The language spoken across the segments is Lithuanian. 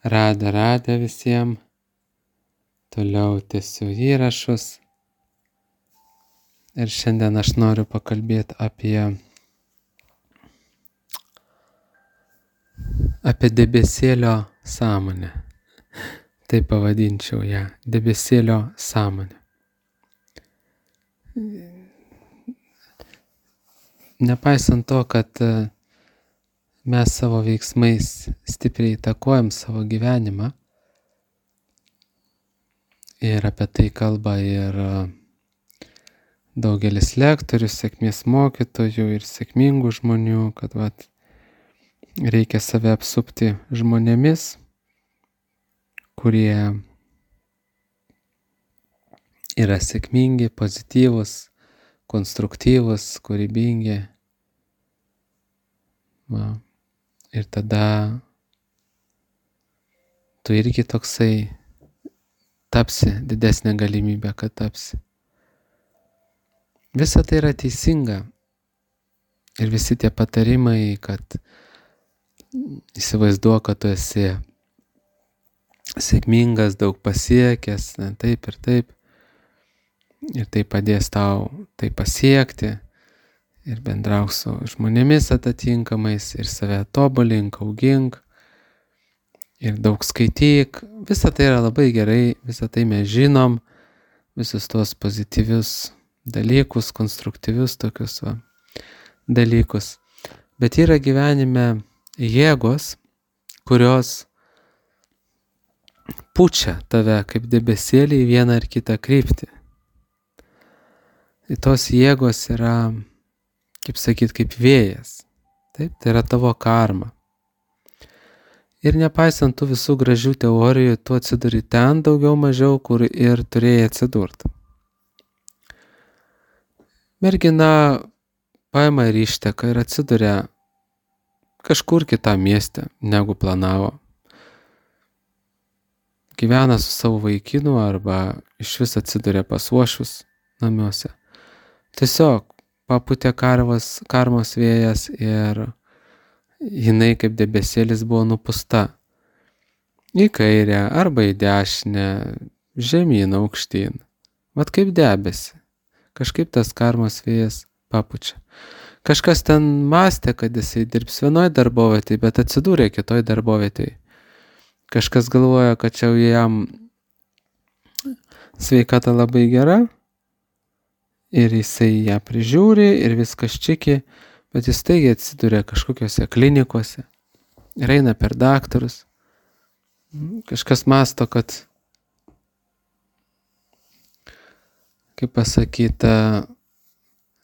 Radę visiems. Toliau tęsiu įrašus. Ir šiandien aš noriu pakalbėti apie debesėlio sąmonę. Tai pavadinčiau ją debesėlio sąmonę. Nepaisant to, kad mes savo veiksmais stipriai įtakojam savo gyvenimą, ir apie tai kalba ir daugelis lektorių, sėkmės mokytojų ir sėkmingų žmonių, kad reikia save apsupti žmonėmis, kurie yra sėkmingi, pozityvūs, konstruktyvūs, kūrybingi. Ir tada tu irgi toksai tapsi, didesnė galimybė, kad tapsi. Visa tai yra teisinga. Ir visi tie patarimai, kad įsivaizduok, kad tu esi sėkmingas, daug pasiekęs, taip ir taip. Ir tai padės tau tai pasiekti. Ir bendrauk su žmonėmis atitinkamais, ir save tobulink, augink, ir daug skaityk. Visa tai yra labai gerai, visa tai mes žinom, visus tuos pozityvius dalykus, konstruktyvius tokius dalykus. Bet yra gyvenime jėgos, kurios pučia tave kaip debesėlį į vieną ar kitą kryptį. Ir tos jėgos yra, kaip vėjas. Taip, tai yra tavo karma. Ir nepaisant tų visų gražių teorijų, tu atsiduri ten daugiau mažiau, kur ir turėjai atsidurti. Mergina paima ir išteka ir atsiduria kažkur kitam mieste, negu planavo. Gyvena su savo vaikinu arba iš vis atsiduria pas uošvius namuose. Tiesiog papūtė karmos vėjas ir jinai kaip debesėlis buvo nupūsta į kairę arba į dešinę, žemyn, aukštyn. Vat kaip debesi. Kažkaip tas karmos vėjas papučia. Kažkas ten mąstė, kad jisai dirbs vienoj darbovietėj, bet atsidūrė kitoj darbovietėj. Kažkas galvoja, kad čia jam sveikata labai gera ir jisai ją prižiūri ir viskas čiki, bet jis staigiai atsiduria kažkokiose klinikose ir eina per daktarus. Kažkas mąsto, kad, kaip pasakyta,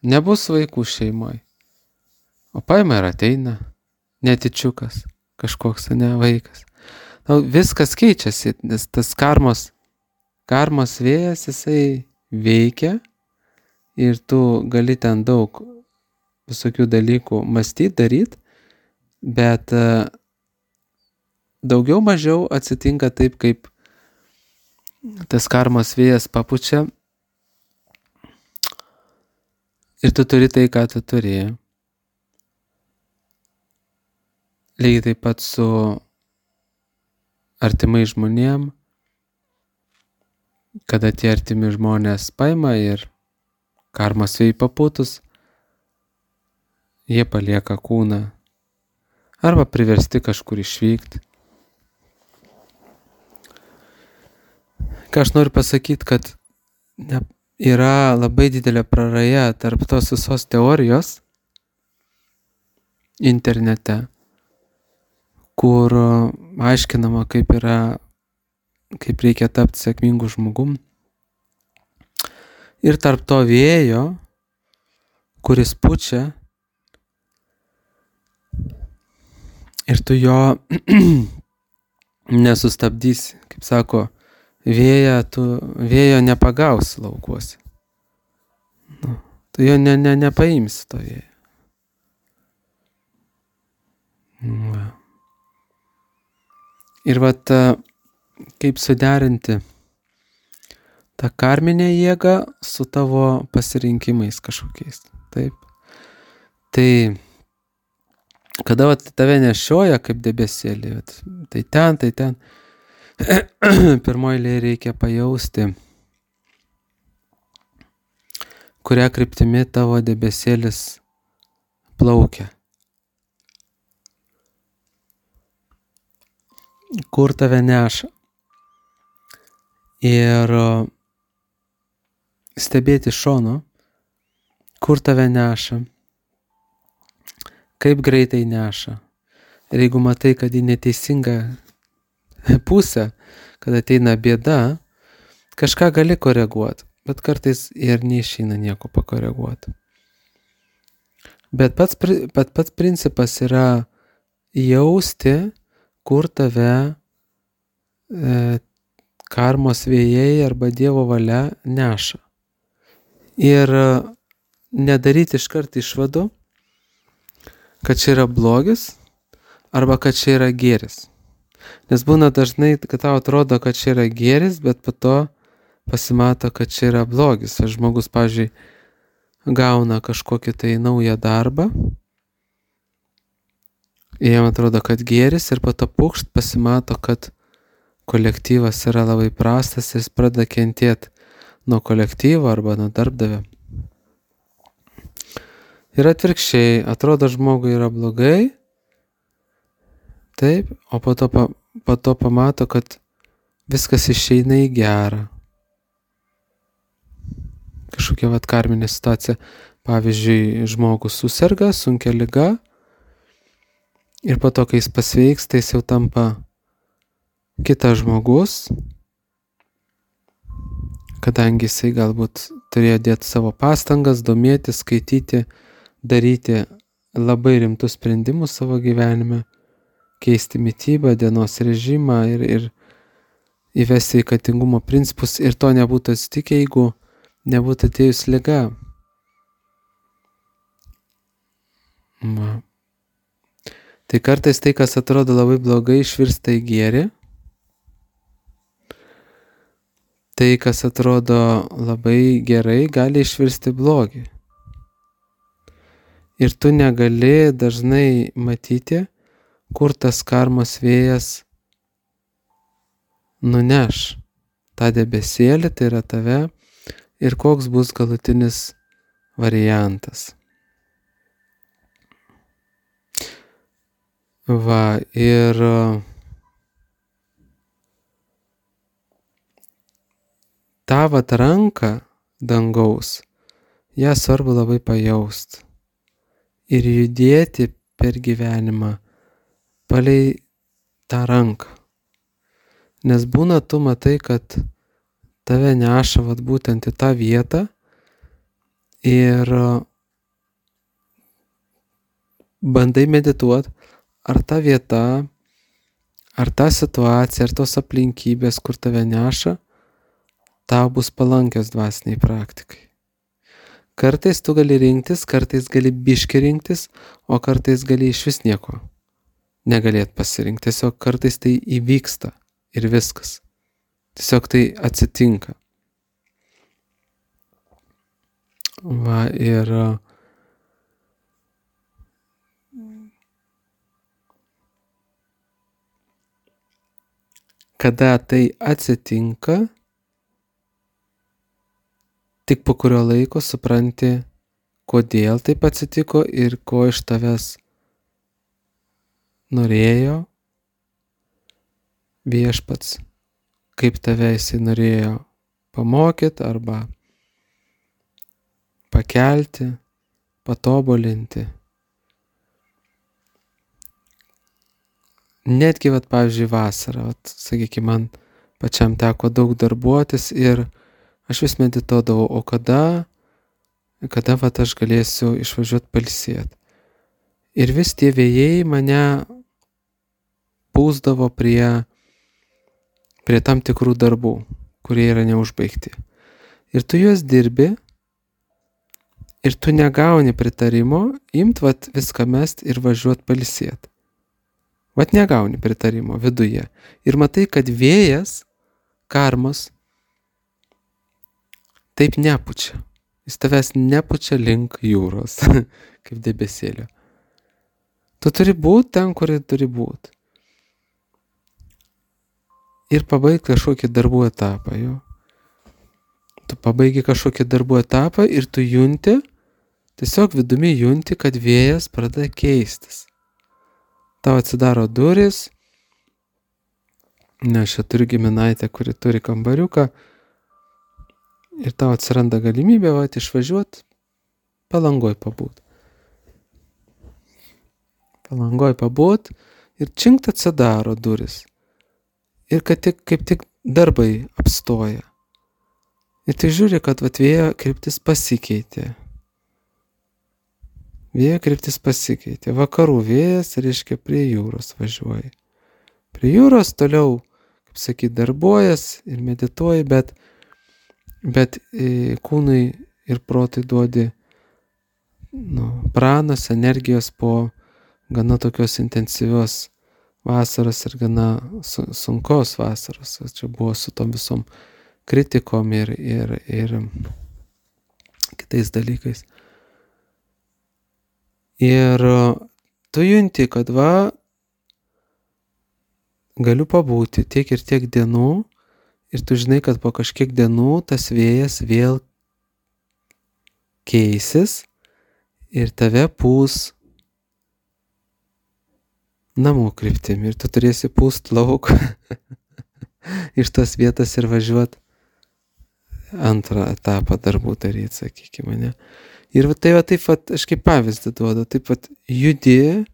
nebus vaikų šeimoj. O paima ir ateina netyčiukas, kažkoks vaikas. Viskas keičiasi, nes tas karmos vėjas, jisai veikia ir tu gali ten daug visokių dalykų mąstyti, daryti, bet daugiau mažiau atsitinka taip, kaip tas karmos vėjas papučia ir tu turi tai, ką tu turi. Lygiai taip pat su artimai žmonėm, kada tie artimi žmonės paima ir karmos vėjai papūtus, jie palieka kūną arba priversti kažkur išvykti. Ką aš noriu pasakyti, kad yra labai didelė praraja tarp tos visos teorijos internete, kur aiškinama, kaip reikia tapti sėkmingu žmogum. Ir tarp to vėjo, kuris pučia, ir tu jo nesustabdysi. Kaip sako, vėjo nepagausi laukuose. Tu jo nepaimsi to vėjo. Ir kaip suderinti tą karminę jėgą su tavo pasirinkimais kažkokiais. Taip. Tai kada vat tave nešioja kaip debesėlį, vat, tai ten, pirmoji eilėje reikia pajausti, kuria kryptimi tavo debesėlis plaukia. Kur tave neša. Ir stebėti šono, kur tave neša, kaip greitai neša. Ir jeigu matai, kad į neteisingą pusę, kad ateina bėda, kažką gali koreguoti, bet kartais ir neišeina nieko pakoreguoti. Bet pats principas yra jausti, kur tave karmos vėjai arba Dievo valia neša. Ir nedaryti iškart išvadų, kad čia yra blogis arba kad čia yra gėris. Nes būna dažnai, kad tau atrodo, kad čia yra gėris, bet po to pasimato, kad čia yra blogis. Ar žmogus, pavyzdžiui, gauna kažkokį tai naują darbą, jam atrodo, kad gėris ir po to pukšt pasimato, kad kolektyvas yra labai prastas ir jis pradeda kentėti nuo kolektyvo arba nuo darbdavio. Ir atvirkščiai, atrodo žmogui yra blogai, taip, o po to pamato, kad viskas išeina į gerą. Kažkokia karminė situacija. Pavyzdžiui, žmogus susirga sunkia liga ir po to, kai jis pasveiksta, jis jau tampa kitas žmogus, kadangi jisai galbūt turėjo dėti savo pastangas, domėtis, skaityti, daryti labai rimtus sprendimus savo gyvenime, keisti mitybą, dienos režimą ir įvesti sveikatingumo principus, ir to nebūtų atsitikę, jeigu nebūtų atėjus liga. Tai kartais tai, kas atrodo labai blogai, išvirsta į gėrį. Tai, kas atrodo labai gerai, gali išvirsti blogį. Ir tu negali dažnai matyti, kur tas karmos vėjas nuneš tą debesėlį, tai yra tave, ir koks bus galutinis variantas. Ir tą ranką dangaus, ją svarbu labai pajaust ir judėti per gyvenimą palei tą ranką. Nes būna tu matai, kad tave neša būtent į tą vietą ir bandai medituoti, ar ta vieta, ar ta situacija, ar tos aplinkybės, kur tave neša, tau bus palankios dvasiniai praktikai. Kartais tu gali rinktis, kartais gali biškį rinktis, o kartais gali išvis nieko negalėt pasirinkti. Tiesiog kartais tai įvyksta ir viskas. Tiesiog tai atsitinka. Ir kada tai atsitinka, tik po kurio laiko supranti, kodėl taip atsitiko ir ko iš tavęs norėjo viešpats, kaip tave jisai norėjo pamokyti arba pakelti, patobulinti. Netgi, pavyzdžiui, vasarą, sakykime, man pačiam teko daug darbuotis ir aš vis medituodavau, o kada aš galėsiu išvažiuoti pailsėti. Ir vis tie vėjai mane pūsdavo prie tam tikrų darbų, kurie yra neužbaigti. Ir tu juos dirbi ir tu negauni pritarimo imt viską mest ir važiuoti pailsėti. Negauni pritarimo viduje. Ir matai, kad vėjas, karmos, taip nepučia. Jis tavęs nepučia link jūros, kaip debesėlio. Tu turi būti ten, kur turi būti. Ir pabaigti kažkokį darbų etapą, jo. Tu pabaigi kažkokį darbų etapą ir tu junti, tiesiog vidumi junti, kad vėjas pradeda keistis. Tau atsidaro duris, nes čia turiu giminaitę, kuri turi kambariuką, ir tau atsiranda galimybė išvažiuoti, Palangoj pabūt. Palangoj pabūt ir činkt atsidaro duris. Ir kad kaip tik darbai apstoja. Ir tai žiūri, kad vėjo kryptis pasikeitė. Vėjo kryptis pasikeitė. Vakarų vėjas, reiškia, prie jūros važiuoja. Prie jūros toliau, kaip sakyt, darbuojas ir medituoji, bet kūnui ir protui duodi pranos, energijos po gana tokios intensyvios vasaros ir gana sunkos vasaros. Čia buvo su tom visom kritikom ir kitais dalykais. Ir tu junti, kad galiu pabūti tiek ir tiek dienų ir tu žinai, kad po kažkiek dienų tas vėjas vėl keisis ir tave pūs namų kryptimi ir tu turėsi pūst lauk iš tos vietos ir važiuot antrą etapą darbų daryti, sakykime, ne. Ir taip aš kaip pavyzdį duodu, taip judi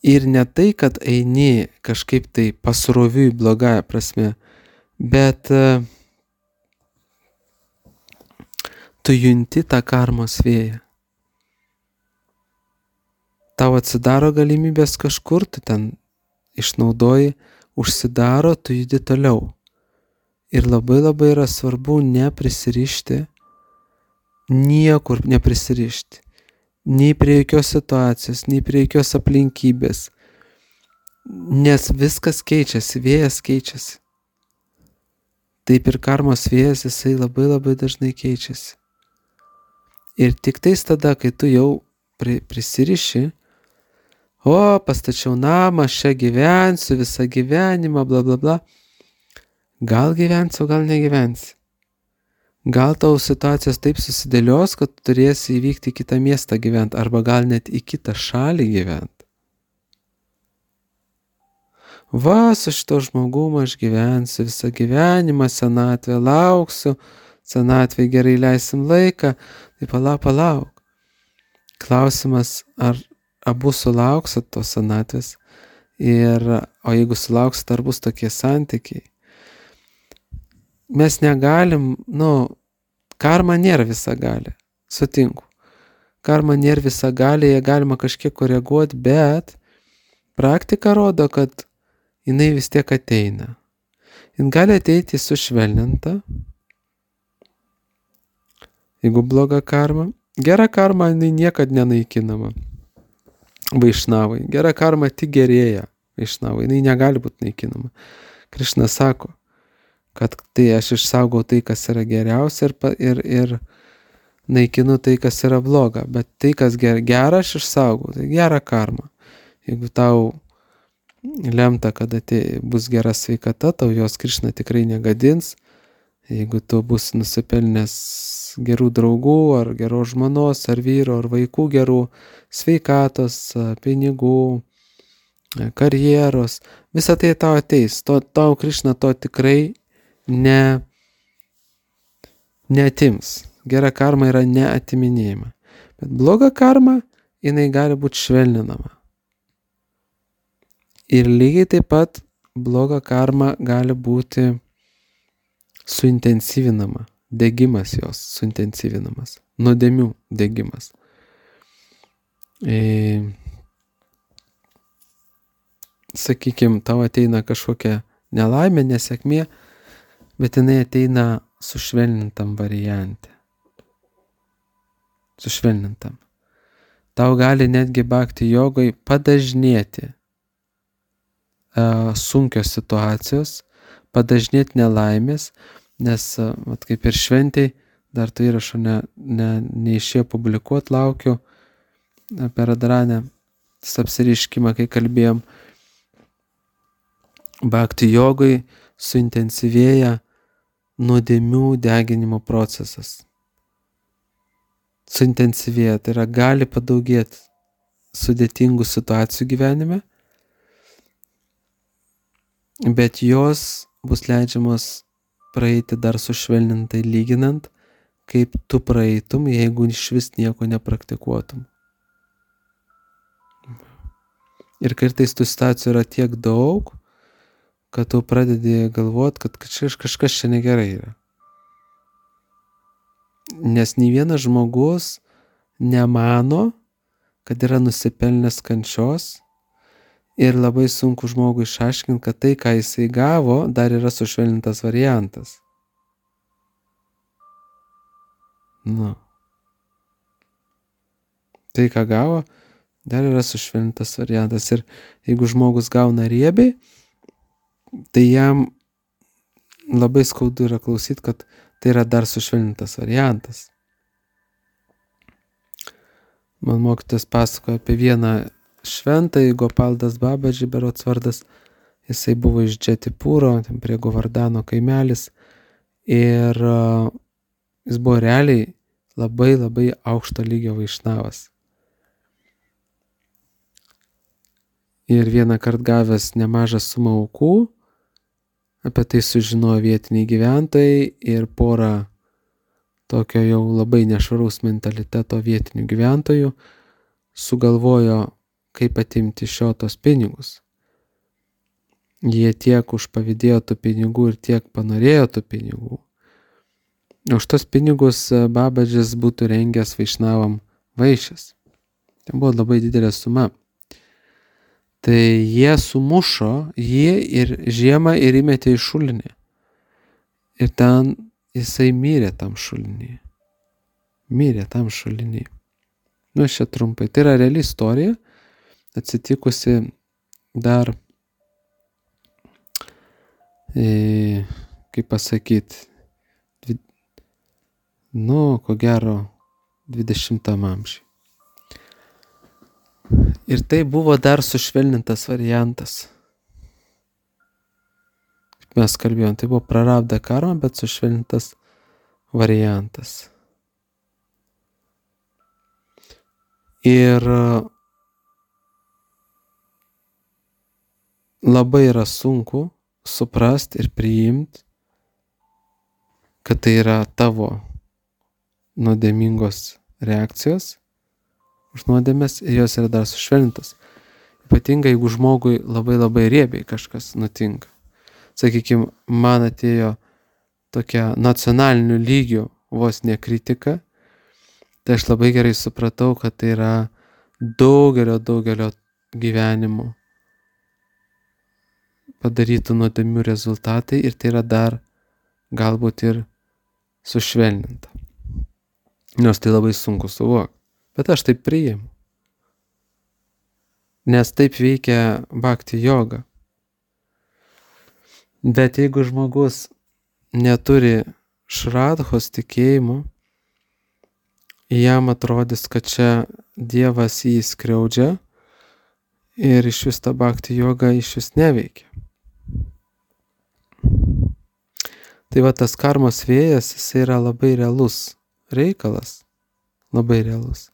ir ne tai, kad eini kažkaip tai pasroviui blogąja prasme, bet tu junti tą karmos vėją. Tau atsidaro galimybės kažkur, tu ten išnaudoji, užsidaro, tu judi toliau. Ir labai labai yra svarbu neprisirišti, niekur neprisirišti. Nei prie jokios situacijos, nei prie jokios aplinkybės. Nes viskas keičiasi, vėjas keičiasi. Taip ir karmos vėjas, jisai labai labai dažnai keičiasi. Ir tik tais tada, kai tu jau prisiriši, pastačiau namą, aš čia gyvensiu visą gyvenimą, bla bla bla. Gal gyvensi, o gal negyvensi. Gal tau situacijos taip susidėlios, kad turėsi įvykti į kitą miestą gyventi, arba gal net į kitą šalį gyventi. Su šito žmogumu aš gyvensiu visą gyvenimą, senatvę lauksiu, senatvėje gerai leisim laiką, tai palauk. Klausimas, ar abu sulauksit tos senatvės, o jeigu sulauksit, ar bus tokie santykiai. Mes negalim, karma nėra visagalė, sutinku. Karma nėra visagalė, ją galima kažkiek koreguoti, bet praktika rodo, kad jinai vis tiek ateina. Jin gali ateiti sušvelninta, jeigu bloga karma. Gera karma, jinai niekad nenaikinama. Vaišnavai. Gera karma tik gerėja. Vaišnavai. Jinai negali būti naikinama. Krišna sako, kad tai aš išsaugau tai, kas yra geriausia ir naikinu tai, kas yra bloga. Bet tai, kas gera, aš išsaugau. Tai gera karma. Jeigu tau lemta, kad bus gera sveikata, tau jos Krišna tikrai negadins. Jeigu tu bus nusipelnęs gerų draugų, ar geros žmonos, ar vyro, ar vaikų gerų, sveikatos, pinigų, karjeros, visą tai tau ateis. Tau Krišna to tikrai neatims. Gera karma yra neatiminėjama. Bet bloga karma, jinai gali būti švelninama. Ir lygiai taip pat bloga karma gali būti suintensyvinama. Degimas jos suintensyvinamas. Nuodėmių degimas. Sakykime, tau ateina kažkokia nelaimė, nesėkmė, bet jinai ateina sušvelnintam variante. Sušvelnintam. Tau gali netgi bhakti jogoj padažnėti sunkios situacijos, padažnėti nelaimės, nes kaip ir šventėj dar to įrašo neišėjo publikuot, laukiu apie Radharanę apsireiškimą, kai kalbėjom. Bhakti jogui suintensyvėja nuodėmių deginimo procesas. Suintensyvėja, tai yra gali padaugėti sudėtingų situacijų gyvenime, bet jos bus leidžiamos praeiti dar sušvelnintai lyginant, kaip tu praeitum, jeigu iš vis nieko nepraktikuotum. Ir kartais tų situacijų yra tiek daug, kad tu pradedi galvot, kad kažkas čia negerai yra. Nes nei vienas žmogus nemano, kad yra nusipelnęs kančios ir labai sunku žmogui išaiškinti, kad tai, ką jisai gavo, dar yra sušvelnintas variantas. Tai, ką gavo, dar yra sušvelnintas variantas. Ir jeigu žmogus gauna riebiai, tai jam labai skaudu yra klausyti, kad tai yra dar sušvelnintas variantas. Man mokytojas pasakojo apie vieną šventąjį, Gopaldas Babaji berods vardas. Jisai buvo iš Džetipūro, ten prie Govardano kaimelis. Ir jis buvo realiai labai aukšto lygio vaišnavas. Ir vieną kartą gavęs nemažą sumą aukų, apie tai sužinojo vietiniai gyventojai ir porą tokio jau labai nešvaraus mentaliteto vietinių gyventojų sugalvojo, kaip atimti iš jo tos pinigus. Jie tiek užpavydėjo tų pinigų ir tiek panorėjo tų pinigų. Už tos pinigus Babadžis būtų rengęs vaišnavam vaišes. Tai buvo labai didelė suma. Tai jie sumušo jį ir žiemą ir įmetė į šulinį. Ir ten jisai mirė tam šulinį. Čia trumpai. Tai yra reali istorija, atsitikusi dar, kaip pasakyti, ko gero 20 amžiuje. Ir tai buvo dar sušvelnintas variantas. Kaip mes kalbėjom, tai buvo prarabdha karma, bet sušvelnintas variantas. Ir labai yra sunku suprasti ir priimti, kad tai yra tavo nuodėmingos reakcijos už nuodėmes ir jos yra dar sušvelnintos. Ypatingai, jeigu žmogui labai riebiai kažkas nutinka. Sakykime, man atėjo tokia nacionaliniu lygiu vos ne kritika, tai aš labai gerai supratau, kad tai yra daugelio gyvenimų padarytų nuodėmių rezultatai ir tai yra dar galbūt ir sušvelninta. Nors tai labai sunku suvokti. Bet aš taip priimu. Nes taip veikia bhakti joga. Bet jeigu žmogus neturi šradhos tikėjimo, jam atrodys, kad čia Dievas jį skriaudžia ir iš vis ta bhakti joga iš vis neveikia. Tai va tas karmos vėjas, jis yra labai realus reikalas. Labai realus.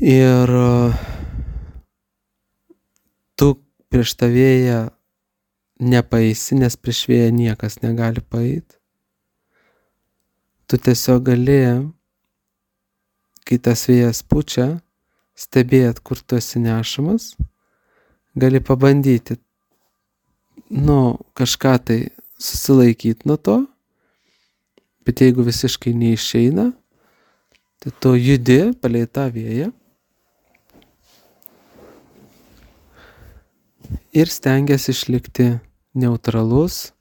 Ir tu prieš tą vėją nepaeisi, nes prieš vėją niekas negali paeiti. Tu tiesiog gali, kai tas vėjas pučia, stebėt, kur tu esi nešamas, gali pabandyti, kažką tai susilaikyti nuo to, bet jeigu visiškai neišeina, tai tu judi palei tą vėją ir stengiasi išlikti neutralus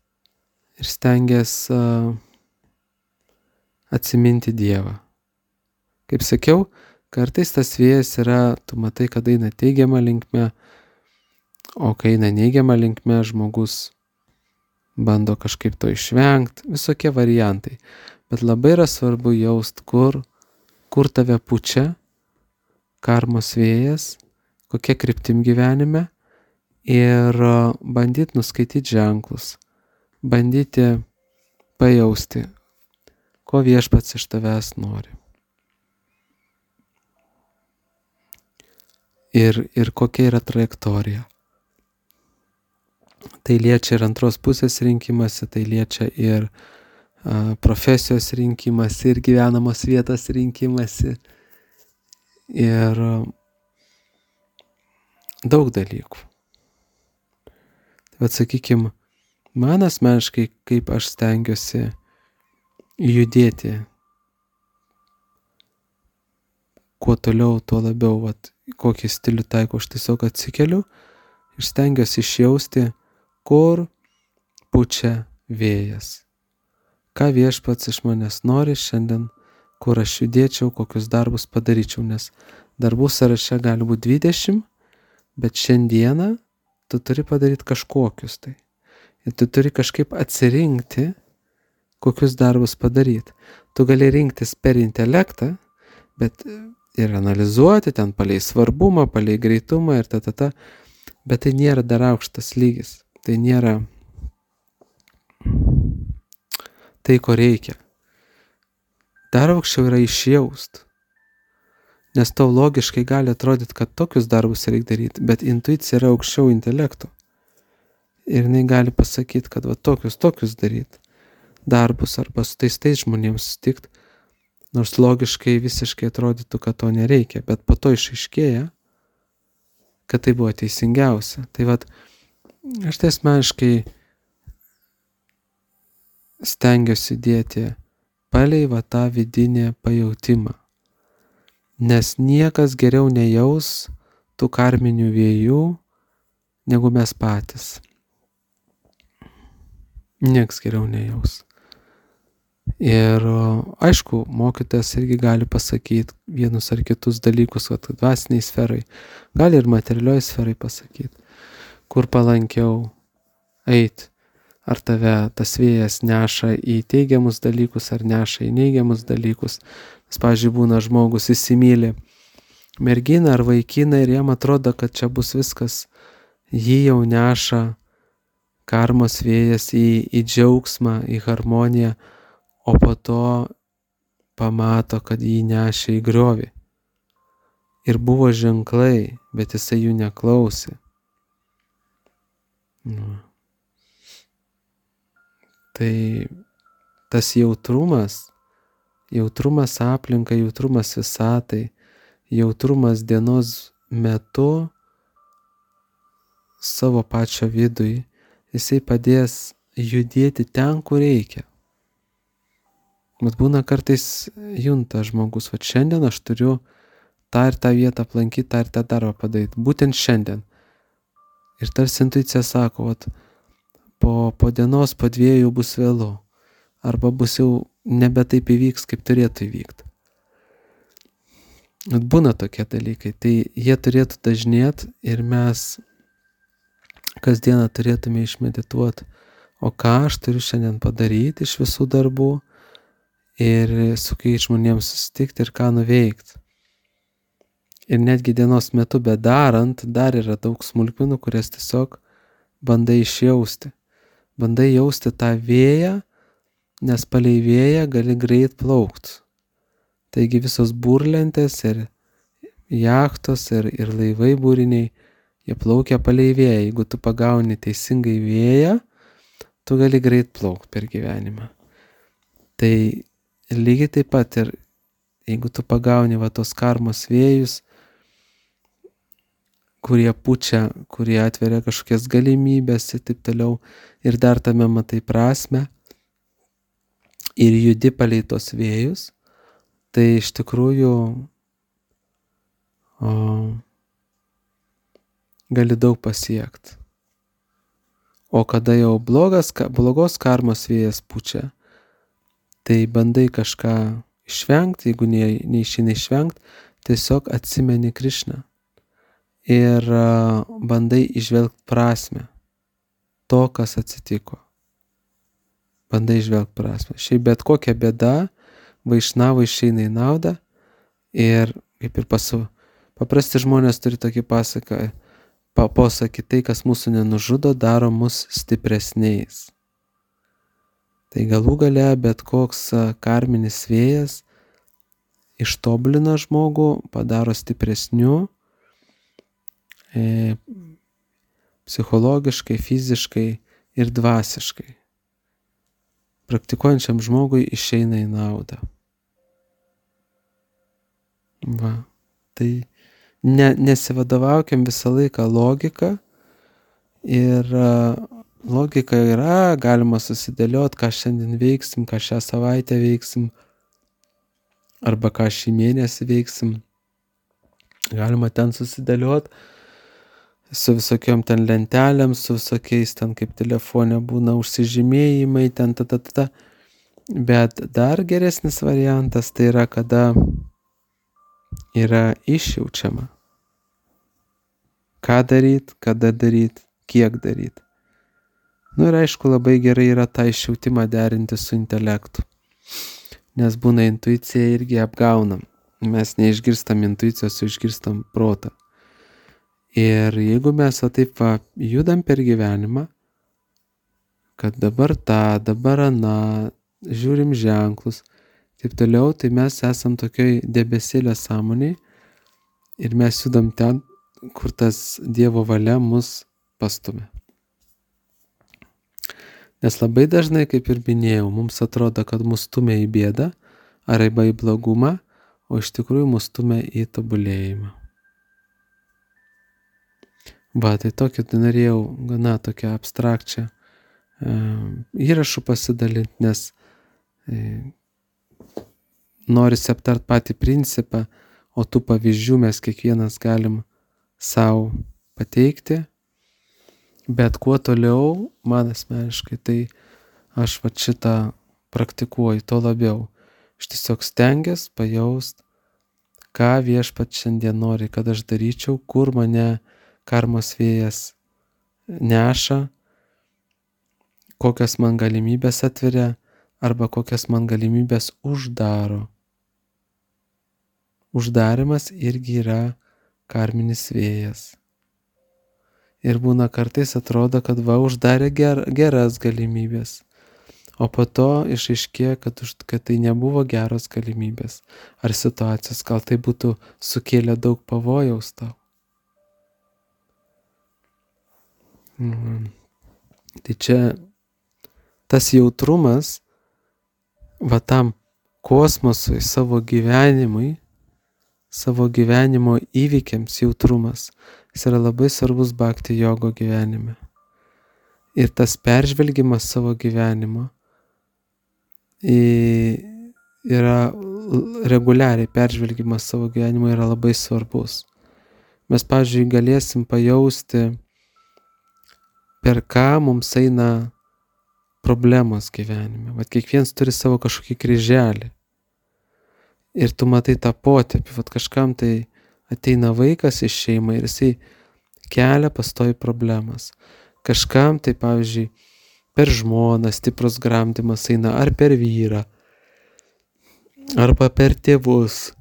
ir stengiasi atsiminti Dievą. Kaip sakiau, kartais tas vėjas yra, tu matai, kad eina teigiama linkme, o kai eina neigiama linkme, žmogus bando kažkaip to išvengti, visokie variantai. Bet labai yra svarbu jaust, kur tave pučia karmos vėjas, kokia kryptim gyvenime ir bandyti nuskaityti ženklus, bandyti pajausti, ko viešpats iš tavęs nori. Ir kokia yra trajektorija. Tai liečia ir antros pusės rinkimasi, tai liečia ir profesijos rinkimasi, ir gyvenamos vietos rinkimasi, ir daug dalykų. Tai sakykime, man asmeniškai, kaip aš stengiuosi judėti, kuo toliau, tuo labiau, kokį stilių taiko, aš tiesiog atsikeliu ir stengiuosi išjausti, kur pučia vėjas. Ką viešpats iš manęs nori šiandien, kur aš judėčiau, kokius darbus padaryčiau, nes darbų sąraše gali būti 20, bet šiandieną tu turi padaryti kažkokius tai. Ir tu turi kažkaip atsirinkti, kokius darbus padaryti. Tu gali rinktis per intelektą, bet ir analizuoti ten palei svarbumą, palei greitumą ir bet tai nėra dar aukštas lygis. Tai nėra tai, ko reikia. Dar aukščiau yra išjaust. Nes tau logiškai gali atrodyti, kad tokius darbus reikia daryti, bet intuicija yra aukščiau intelekto. Ir jinai gali pasakyti, kad tokius daryti darbus arba su tais žmonėms susitikti, nors logiškai visiškai atrodytų, kad to nereikia, bet po to išaiškėja, kad tai buvo teisingiausia. Tai aš tai asmeniškai stengiuosi dėti palei tą vidinį pajautimą, nes niekas geriau nejaus tų karminių vėjų, negu mes patys. Nieks geriau nejaus. Ir aišku, mokytojas irgi gali pasakyti vienus ar kitus dalykus, kad dvasiniai sferai, gali ir materialioj sferai pasakyti, kur palankiau eit, ar tave tas vėjas neša į teigiamus dalykus, ar neša į neigiamus dalykus. Nes, pavyzdžiui, būna žmogus įsimyli merginą ar vaikiną ir jam atrodo, kad čia bus viskas, jį jau neša karmos vėjas į džiaugsmą, į harmoniją, o po to pamato, kad jį nešė į griovį. Ir buvo ženklai, bet jisai jų neklausė. Tai tas jautrumas aplinkai, jautrumas visatai, jautrumas dienos metu savo pačio vidui, jisai padės judėti ten, kur reikia. Bet būna kartais junta žmogus, šiandien aš turiu tą ir tą vietą aplankyti, tą ir tą darbą padaryti, būtent šiandien. Ir tarsi intuicija sako, po dienos, po 2 bus vėlu, arba bus jau nebe taip įvyks, kaip turėtų įvykti. Būna tokie dalykai, tai jie turėtų dažnėti ir mes kasdieną turėtume išmedituoti, o ką aš turiu šiandien padaryti iš visų darbų ir su kai žmonėms susitikti ir ką nuveikti. Ir netgi dienos metu bedarant, dar yra daug smulkmenų, kurias tiesiog bandai išjausti. Bandai jausti tą vėją, nes palei vėją gali greit plaukti. Taigi visos burlentės ir jachtos ir laivai būriniai, jie plaukia palei vėją. Jeigu tu pagauni teisingai vėją, tu gali greit plaukti per gyvenimą. Tai lygiai taip pat ir jeigu tu pagauni tos karmos vėjus, kurie pučia, kurie atveria kažkokias galimybės ir taip toliau, ir dar tame matai prasmę ir judi palei tos vėjus, tai iš tikrųjų gali daug pasiekti. O kada jau blogos karmos vėjas pučia, tai bandai kažką išvengti, jeigu neišeina išvengti, tiesiog atsimeni Krišną ir bandai įžvelgti prasmę to, kas atsitiko. bandai žvelgti prasmę. Šiaip bet kokia bėda vaišnavui išeina į naudą ir kaip ir paprasti žmonės turi tokį posakį, tai, kas mūsų nenužudo, daro mus stipresniais. Tai galų gale bet koks karminis vėjas ištobulina žmogų, padaro stipresniu, psichologiškai, fiziškai ir dvasiškai. Praktikuojančiam žmogui išeina į naudą. Va. Tai nesivadovaukiam visą laiką logiką ir logika yra, galima susidėliot, ką šiandien veiksim, ką šią savaitę veiksim, arba ką šį mėnesį veiksim. Galima ten susidėliot su visokiom ten lentelėm, su visokiais ten kaip telefone būna užsižymėjimai, ten Bet dar geresnis variantas tai yra, kada yra išjaučiama. Ką daryt, kada daryt, kiek daryt. Ir aišku, labai gerai yra tą išjautimą derinti su intelektu. Nes būna intuicija irgi apgaunam. Mes neišgirstam intuicijos, išgirstam protą. Ir jeigu mes taip judam per gyvenimą, kad dabar tą, dabar aną, žiūrim ženklus, taip toliau, tai mes esam tokioj debesėlio sąmonėj ir mes judam ten, kur tas Dievo valia mus pastumia. Nes labai dažnai, kaip ir minėjau, mums atrodo, kad mus stumia į bėdą arba į blogumą, o iš tikrųjų mus stumia į tobulėjimą. Tai tokį norėjau gana tokią abstrakčią įrašų pasidalinti, nes norisi aptart patį principą, o tų pavyzdžių mes kiekvienas galim savo pateikti. Bet kuo toliau, man asmeniškai, tai aš šitą praktikuoju, to labiau. Aš tiesiog stengiuos pajaust, ką Viešpats šiandien nori, kad aš daryčiau, kur mane karmos vėjas neša, kokias man galimybės atveria arba kokias man galimybės uždaro. Uždarimas irgi yra karminis vėjas. Ir būna kartais atrodo, kad uždarė geras galimybės, o po to išaiškėja, kad tai nebuvo geros galimybės ar situacijos, gal tai būtų sukėlę daug pavojaus tau. Tai čia tas jautrumas tam kosmosui, savo gyvenimui, savo gyvenimo įvykiams jautrumas, jis yra labai svarbus bhakti jogo gyvenime. Ir tas peržvelgimas savo gyvenimo yra reguliariai peržvelgimas savo gyvenimo yra labai svarbus. Mes, pavyzdžiui, galėsim pajausti, per ką mums eina problemos gyvenime. Kiekvienas turi savo kažkokį kryželį. Ir tu matai tą potėpį. Kažkam tai ateina vaikas iš šeimą ir jisai kelia pastovi problemas. Kažkam tai, pavyzdžiui, per žmoną stiprus gramdymas eina ar per vyrą, arba per tėvus,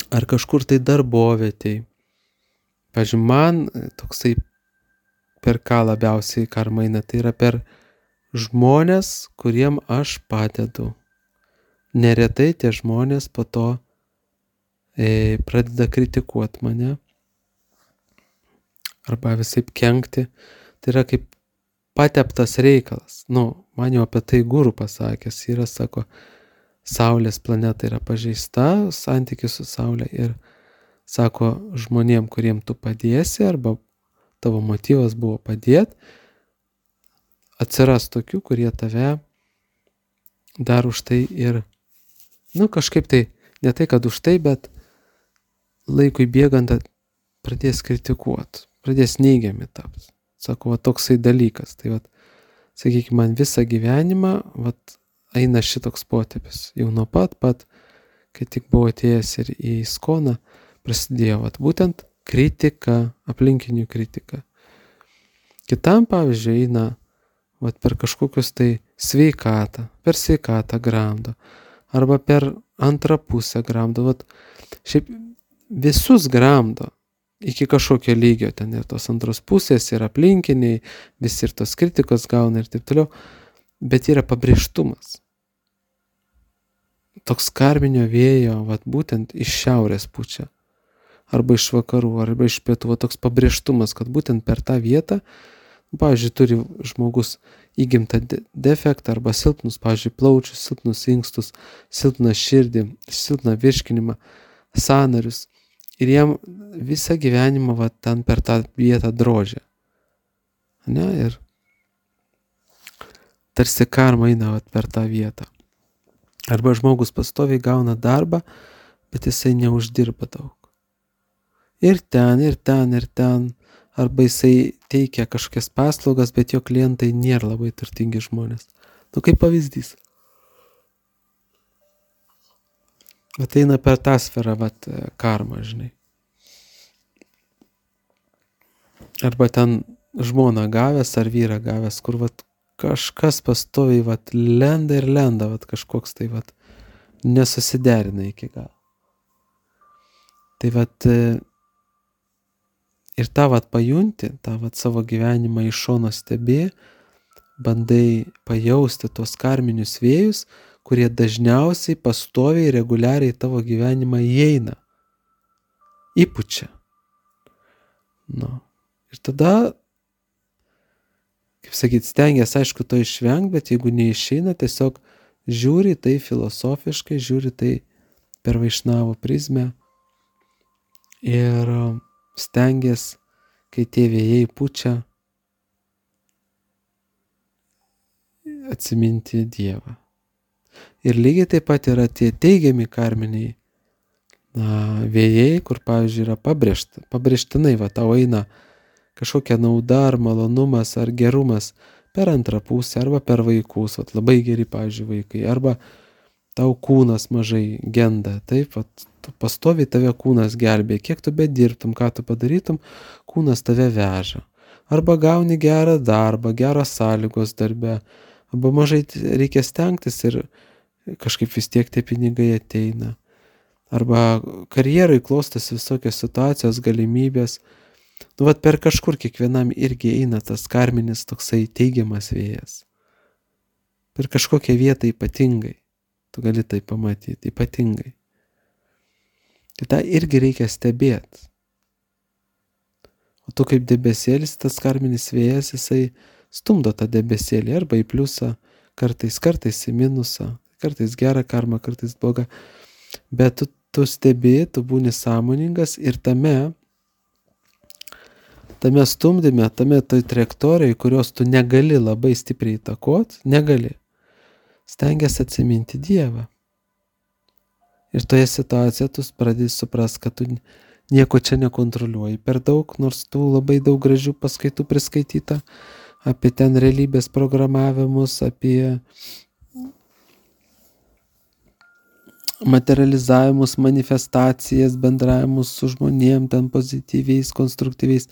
ar kažkur tai darbovietėj. Pavyzdžiui, man toksai per ką labiausiai karma eina, tai yra per žmonės, kuriem aš padedu. Neretai tie žmonės po to pradeda kritikuoti mane arba visaip kenkti. Tai yra kaip pateptas reikalas. Man jau apie tai guru pasakęs yra, sako, Saulės planeta yra pažeista, santykis su Saulė ir sako, žmonėm, kuriem tu padėsi arba tavo motyvas buvo padėti, atsiras tokių, kurie tave dar už tai ir, kažkaip tai, ne tai, kad už tai, bet laikui bėgant pradės kritikuoti, pradės neigiami taps. Sako, toksai dalykas. Tai sakykime, man visą gyvenimą eina šitoks potėpis. Jau nuo pat, kai tik buvo atėjęs ir į Iskoną, prasidėjo būtent kritika, aplinkinių kritika. Kitam, pavyzdžiui, eina vat per kažkokius tai per sveikatą gramdo, arba per antrą pusę gramdo, vat šiaip visus gramdo iki kažkokio lygio, ten ir tos antros pusės, ir aplinkiniai, visi ir tos kritikos gauna ir taip toliau, bet yra pabrėžtumas. Toks karminio vėjo, vat būtent iš šiaurės pučia, arba iš vakarų, arba iš pietų, vat toks pabrėžtumas, kad būtent per tą vietą, pavyzdžiui, turi žmogus įgimtą defektą arba silpnus, pavyzdžiui, plaučius, silpnus inkstus, silpną širdį, silpną virškinimą, sąnarius. Ir jam visą gyvenimą va, ten per tą vietą drožia. Ne? Ir tarsi karma eina va, per tą vietą. Arba žmogus pastoviai gauna darbą, bet jisai neuždirba daug. Ir ten, ir ten, ir ten. Arba jisai teikia kažkokias paslaugas, bet jo klientai nėra labai turtingi žmonės. Nu, kaip pavyzdys. Vat eina per tą sferą, vat, karma, žinai. Arba ten žmoną gavęs ar vyrą gavęs, kur vat kažkas pastoviai vat lenda ir lenda, vat kažkoks tai vat nesusiderina iki galo. Tai vat ir tą vat pajunti, tą vat savo gyvenimą iš šono stebi, bandai pajausti tos karminius vėjus, kurie dažniausiai pastoviai, reguliariai tavo gyvenimą įeina, įpučia. Nu. Ir tada, kaip sakyt, stengiasi, aišku, to išvengti, bet jeigu neišeina, tiesiog žiūri tai filosofiškai, žiūri tai per Vaišnavo prizmę ir stengiasi, kai tie vėjai pučia, atsiminti Dievą. Ir lygiai taip pat yra tie teigiami karminiai vėjai, kur, pavyzdžiui, yra pabrėžtinai, va, tau eina kažkokia nauda ar malonumas ar gerumas per antrą pusę arba per vaikus, vat, labai geri, pavyzdžiui, vaikai, arba tau kūnas mažai genda, taip, vat, pastoviai tave kūnas gelbė, kiek tu bedirbtum, ką tu padarytum, kūnas tave veža. Arba gauni gerą darbą, geros sąlygos darbe, arba mažai reikia stengtis ir kažkaip vis tiek tie pinigai ateina. Arba karjerai klostas visokios situacijos, galimybės. Nu, vat per kažkur kiekvienam irgi eina tas karminis toksai teigiamas vėjas. Per kažkokią vietą ypatingai. Tu gali tai pamatyti, ypatingai. Tai tą irgi reikia stebėti. O tu kaip debesėlis, tas karminis vėjas, jisai stumdo tą debesėlį arba į pliusą, kartais į minusą, kartais gerą karmą, kartais blogą. Bet tu stebi, tu būni sąmoningas ir tame stumdyme, tame toj trajektorijai, kurios tu negali labai stipriai įtakot, negali. Stengiasi atsiminti Dievą. Ir toje situacijoje tu pradedi suprast, kad tu nieko čia nekontroliuoji per daug, nors tų labai daug gražių paskaitų priskaityta apie ten realybės programavimus, apie materializavimus, manifestacijas, bendravimus su žmonėm, ten pozityviais, konstruktyviais,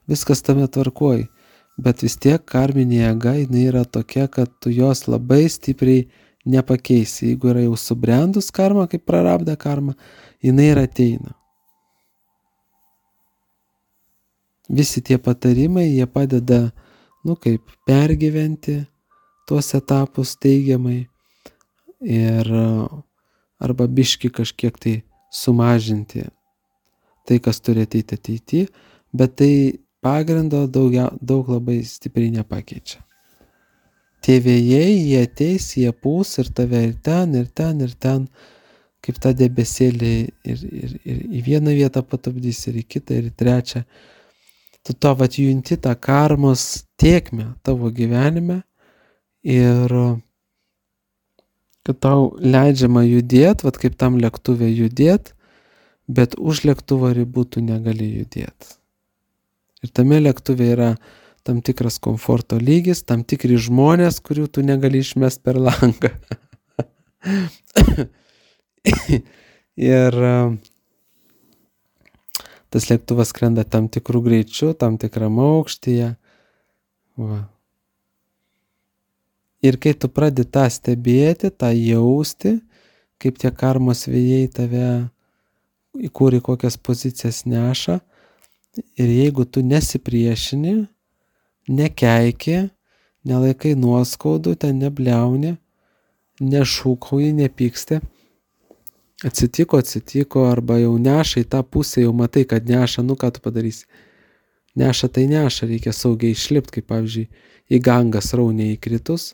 viskas tame tvarkoj. Bet vis tiek karminė jėga, jinai yra tokia, kad tu jos labai stipriai nepakeisi. Jeigu yra jau subrendus karma, kaip prarabda karma, jinai ir ateina. Visi tie patarimai, jie padeda, kaip pergyventi tuos etapus teigiamai ir arba biški kažkiek tai sumažinti tai, kas turi ateiti ateityje, bet tai pagrindo daug labai stipriai nepakeičia. Tie vėjai, jie ateis, jie pūs ir tave ir ten, ir ten, ir ten, kaip tą debesėlį ir į vieną vietą patupdys, ir į kitą, ir į trečią. Tu to vat junti tą karmos tėkmę tavo gyvenime ir kad tau leidžiama judėti, vat kaip tam lėktuve judėti, bet už lėktuvo ribų tu negali judėti. Ir tame lėktuve yra tam tikras komforto lygis, tam tikri žmonės, kurių tu negali išmest per langą. Ir tas lėktuvas skrenda tam tikrų greičių, tam tikram aukštyje. Va. Ir kai tu pradedi tą stebėti, tą jausti, kaip tie karmos vėjai tave į kur į kokias pozicijas neša, ir jeigu tu nesipriešini, nekeiki, nelaikai nuoskaudų, ten nebliauni, nešūkauji, nepyksti, atsitiko, arba jau neša į tą pusę, jau matai, kad neša, ką tu padarysi. Neša tai neša, reikia saugiai išlipti, kaip pavyzdžiui, į gangą srauniai įkritus,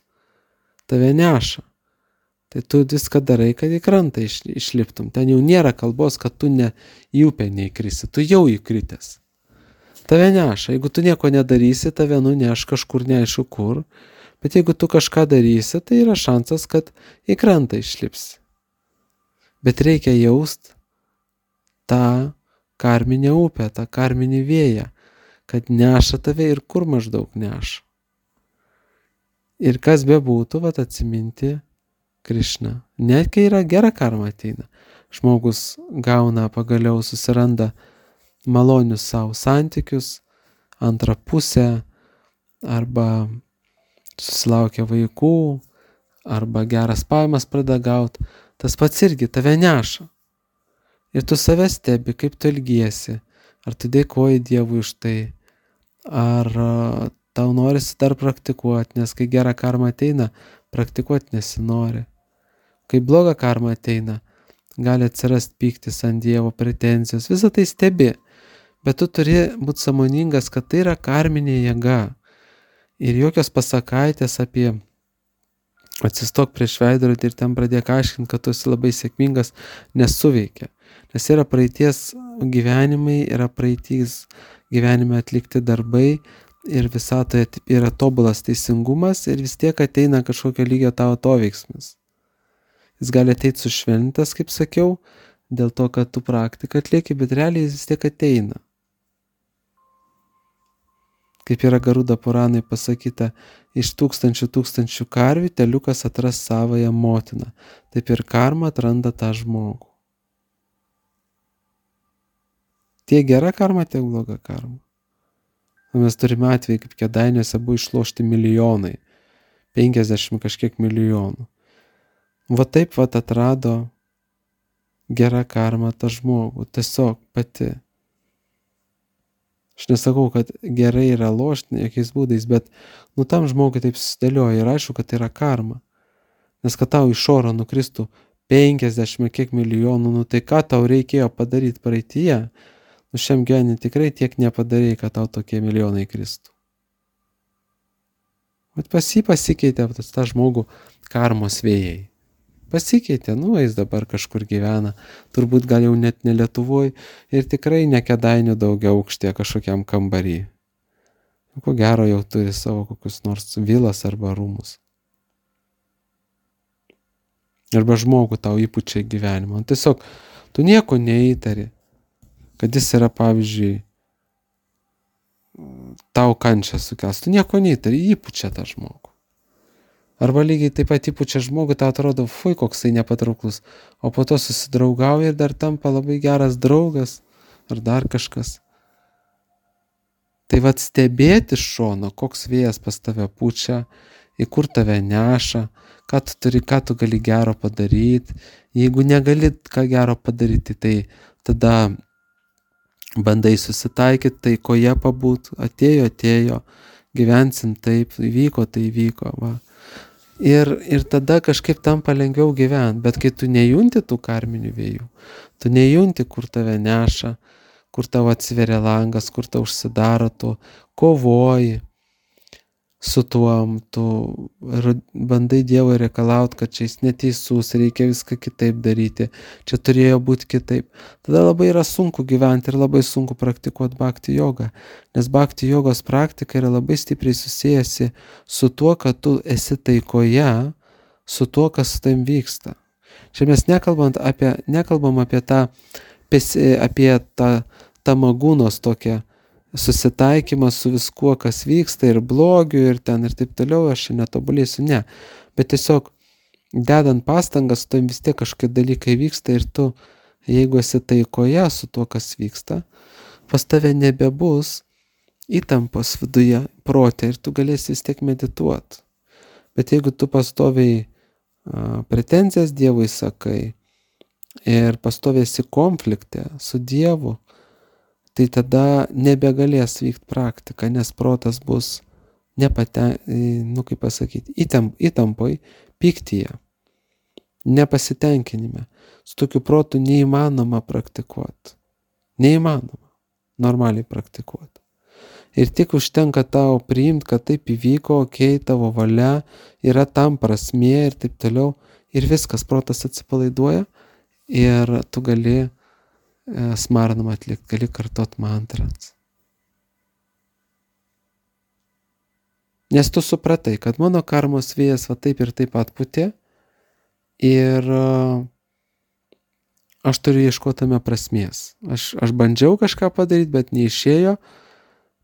tave neša. Tai tu viską darai, kad į krantą išliptum. Ten jau nėra kalbos, kad tu į upę neįkrisi, tu jau įkritęs. Tave neša, jeigu tu nieko nedarysi, tave nuneš kažkur neaišku kur, bet jeigu tu kažką darysi, tai yra šansas, kad į krantą išlipsi. Bet reikia jaust tą karminę upę, tą karminį vėją, kad neša tave ir kur maždaug neša. Ir kas bebūtų, atsiminti Krišną. Net kai yra gera karma ateina, žmogus gauna pagaliau, susiranda malonius savo santykius, antrą pusę, arba susilaukia vaikų, arba geras pajamas pradeda gauti, tas pats irgi tave neša. Ir tu save stebi, kaip tu elgiesi, ar tu dėkoji Dievui už tai, ar tau norisi dar praktikuoti, nes kai gera karma ateina, praktikuoti nesinori. Kai bloga karma ateina, gali atsirasti pyktis ant Dievo, pretenzijos, visą tai stebi, bet tu turi būti sąmoningas, kad tai yra karminė jėga. Ir jokios pasakaitės apie atsistok prieš veidrodį ir ten pradėk aiškinti, kad tu esi labai sėkmingas, nesuveikia. Nes yra praeities gyvenimai, yra praeities gyvenime atlikti darbai ir visatoje yra tobulas teisingumas ir vis tiek ateina kažkokio lygio tavo atoveiksmis. Jis gali ateiti sušvelnintas, kaip sakiau, dėl to, kad tu praktiką atlieki, bet realiai jis vis tiek ateina. Kaip yra Garuda Puranai pasakyta, iš tūkstančių karvių teliukas atras savąją motiną. Taip ir karma atranda tą žmogų. Tiek gera karma, tiek bloga karma. Mes turime atvejį, kaip Kėdainiuose buvo išlošti milijonai, 50 kažkiek milijonų. Va taip atrado gera karma tą žmogų, tiesiog pati. Aš nesakau, kad gerai yra lošti jokiais būdais, bet tam žmogui taip susidėlioja ir aišku, kad tai yra karma. Nes kad tau iš oro nukristų 50 kiek milijonų, tai ką tau reikėjo padaryti praeityje, šiam gyvenime tikrai tiek nepadarei, kad tau tokie milijonai kristų. Bet pasikeitė tą žmogų karmos vėjai. Pasikeitė, jis dabar kažkur gyvena, turbūt gal jau net ne Lietuvoj ir tikrai ne Kėdainių daugiaaukštyje kažkokiam kambarį. Ko gero jau turi savo kokius nors vilas arba rūmus. Arba žmogų tau įpučia gyvenimą. Tiesiog tu nieko neįtari, kad jis yra, pavyzdžiui, tau kančią sukels. Tu nieko neįtari, įpučia tą žmogų. Arba lygiai taip pat įpučia žmogų, tau atrodo, fui, koksai nepatrauklus, o po to susidraugauja ir dar tampa labai geras draugas, ar dar kažkas. Tai stebėti iš šono, koks vėjas pas tave pučia, į kur tave neša, ką tu gali gero padaryti. Jeigu negali ką gero padaryti, tai tada bandai susitaikyti, tai koje pabūt, atėjo, gyvensim taip, įvyko, tai įvyko, va. Ir tada kažkaip tampa lengviau gyventi, bet kai tu nejunti tų karminių vėjų, tu nejunti, kur tave neša, kur tavo atsiveria langas, kur tau užsidaro, tu kovoji su tuom, tu bandai Dievo reikalauti, kad čia jis neteisus, reikia viską kitaip daryti, čia turėjo būti kitaip. Tada labai yra sunku gyventi ir labai sunku praktikuoti bhakti jogą, nes bhakti jogos praktika yra labai stipriai susijęsi su tuo, kad tu esi taikoje, su tuo, kas su tavim vyksta. Čia mes nekalbam apie tą tamagūnos tokią susitaikymą su viskuo, kas vyksta ir blogiu ir ten ir taip toliau, aš čia netobulėsiu, ne. Bet tiesiog dedant pastangas, tu vis tiek kažkokie dalykai vyksta ir tu, jeigu esi taikoje su tuo, kas vyksta, pas tave nebebus įtampos viduje, prote ir tu galėsi vis tiek medituoti. Bet jeigu tu pastoviai pretenzijas Dievui sakai ir pastoviai konflikte su Dievu, tai tada nebegalės vykti praktika, nes protas bus įtampoj, pyktyje, nepasitenkinime. Su tokiu protu neįmanoma praktikuoti. Neįmanoma normaliai praktikuoti. Ir tik užtenka tau priimti, kad taip įvyko, tavo valia, yra tam prasmė ir taip toliau. Ir viskas, protas atsipalaiduoja ir tu gali smarnamą atlikti, gali kartot mantras. Nes tu supratai, kad mano karmos vėjas va taip ir taip atpūtė ir aš turiu ieškoti tame prasmės. Aš bandžiau kažką padaryti, bet neišėjo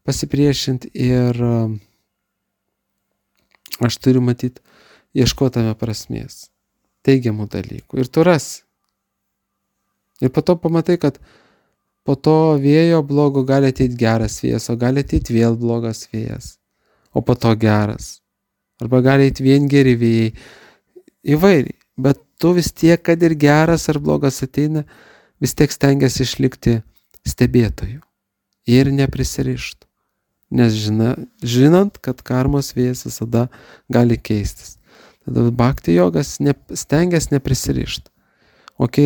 pasipriešinti ir aš turiu matyti, ieškoti tame prasmės, teigiamų dalykų. Ir tu rasi. Ir po to pamatai, kad po to vėjo blogo gali ateiti geras vėjas, o gali ateiti vėl blogas vėjas, o po to geras. Arba gali ateiti vien geri vėjai. Įvairiai. Bet tu vis tiek, kad ir geras ar blogas ateina, vis tiek stengiasi išlikti stebėtoju ir neprisirišti. Nes žinant, kad karmos vėjas visada gali keistis. Tada bhakti jogas stengiasi neprisirišti.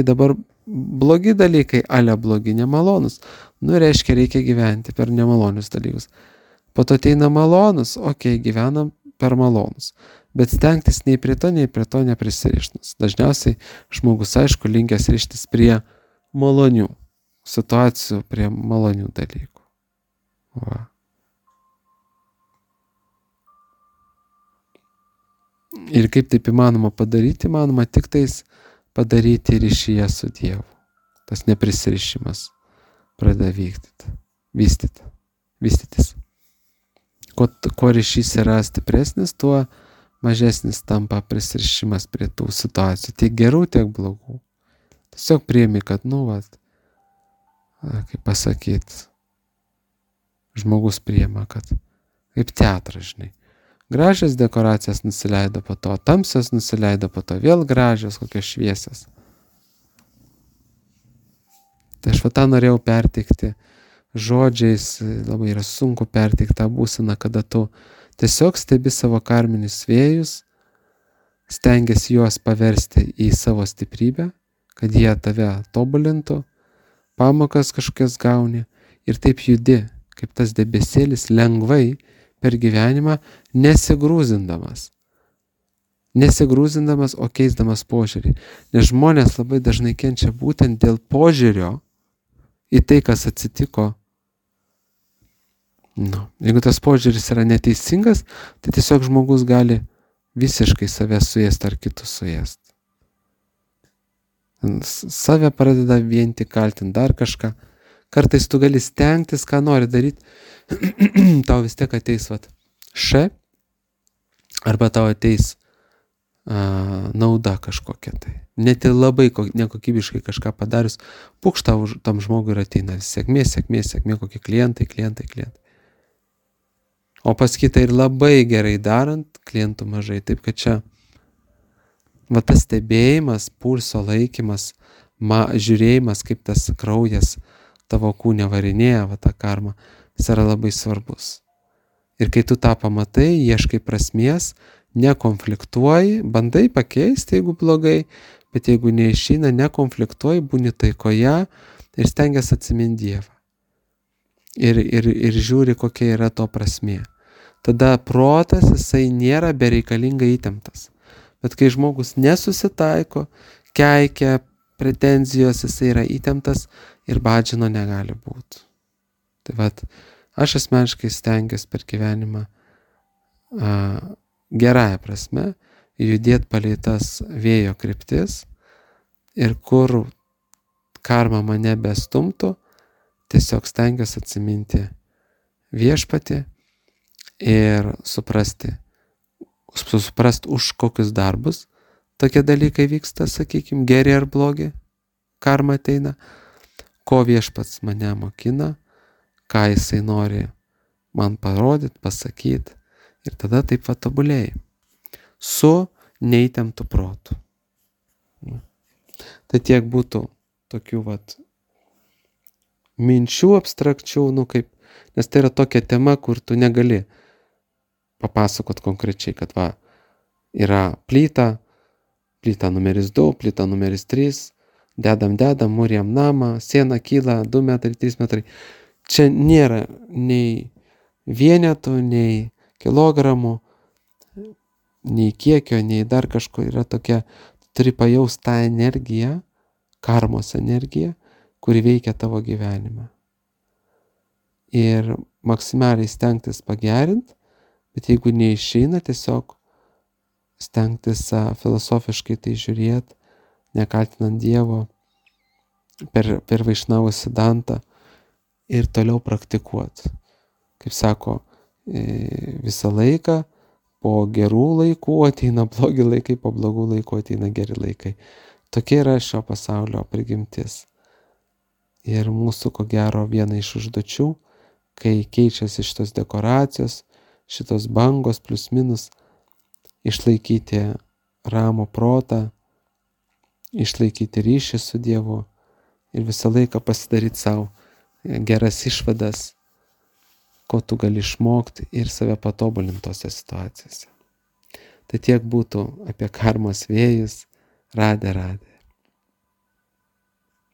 Dabar blogi dalykai, blogi, nemalonus. Reiškia, reikia gyventi per nemalonius dalykus. Po to ateina malonus, gyvenam per malonus. Bet stengtis nei prie to neprisirištis. Dažniausiai žmogus, aišku, linkęs rištis prie malonių situacijų, prie malonių dalykų. Va. Ir kaip taip įmanoma padaryti? Įmanoma tik tais padaryti ryšyje su Dievu. Tas neprisirišimas pradeda vystytis. Kuo ryšys yra stipresnis, tuo mažesnis tampa prisirišimas prie tų situacijų. Tiek gerų, tiek blogų. Tiesiog priimi, kad, kaip pasakyti, žmogus priima, kad kaip teatras, žinai. Gražios dekoracijas nusileido po to, tamsios nusileido po to, vėl gražios, kokios šviesios. Tai aš tą norėjau perteikti žodžiais, labai yra sunku perteikti tą būseną, kada tu tiesiog stebi savo karminius vėjus, stengiasi juos paversti į savo stiprybę, kad jie tave tobulintų, pamokas kažkokias gauni ir taip judi, kaip tas debesėlis lengvai per gyvenimą, nesigrūzindamas, o keisdamas požiūrį. Nes žmonės labai dažnai kenčia būtent dėl požiūrio į tai, kas atsitiko. Jeigu tas požiūris yra neteisingas, tai tiesiog žmogus gali visiškai save suėsti ar kitus suėsti. Save pradeda vien tik kaltinti dar kažką. Kartais tu gali stengtis, ką nori daryti, tau vis tiek ateis arba tau ateis nauda kažkokia tai. Net ir labai nekokybiškai kažką padarius, pukšta tam žmogui ir ateina sėkmė, kokie klientai. O pas kitą ir labai gerai darant, klientų mažai. Taip kad čia tas stebėjimas, pulso laikymas, žiūrėjimas, kaip tas kraujas tavo kūne varinėja, tą karmą, jis yra labai svarbus. Ir kai tu tą pamatai, ieškai prasmės, nekonfliktuoji, bandai pakeisti, jeigu blogai, bet jeigu neišeina, nekonfliktuoji, būni taikoje ir stengiasi atsiminti Dievą. Ir žiūri, kokia yra to prasmė. Tada protas, jisai nėra bereikalingai įtemptas. Bet kai žmogus nesusitaiko, keikia, pretenzijos, jisai yra įtemptas ir badžino negali būti. Tai aš asmeniškai stengiuosi per gyvenimą gerąją prasme judėti palei tas vėjo kryptis ir kur karma mane bestumtų, tiesiog stengiuosi atsiminti viešpatį ir suprast už kokius darbus tokie dalykai vyksta, sakykime, geri ar blogi, karma ateina, ko viešpats mane mokina, ką jisai nori man parodyt, pasakyt. Ir tada taip va tobulėjai. Su neįtemptu protu. Tai tiek būtų tokių vat minčių abstrakčių, nes tai yra tokia tema, kur tu negali papasakot konkrečiai, kad va, yra plyta numeris 2, plyta numeris 3, dedam, mūrijam namą, siena kyla 2 metrai, 3 metrai. Čia nėra nei vienetų, nei kilogramų, nei kiekio, nei dar kažko. Yra tokia, turi pajaust tą energiją, karmos energiją, kuri veikia tavo gyvenime. Ir maksimaliai stengtis pagerint, bet jeigu neišeina, tiesiog stengtis filosofiškai tai žiūrėt, nekaltinant Dievo per Vaišnavų Sidantą ir toliau praktikuot. Kaip sako, visą laiką po gerų laikų ateina blogi laikai, po blogų laikų ateina geri laikai. Tokia yra šio pasaulio prigimtis. Ir mūsų, ko gero, viena iš užduočių, kai keičiasi šitos dekoracijos, šitos bangos plius minus, išlaikyti ramų protą, išlaikyti ryšį su Dievu ir visą laiką pasidaryti savo geras išvadas, ko tu gali išmokti ir save patobulinti tose situacijose. Tai tiek būtų apie karmos vėjus. Radė.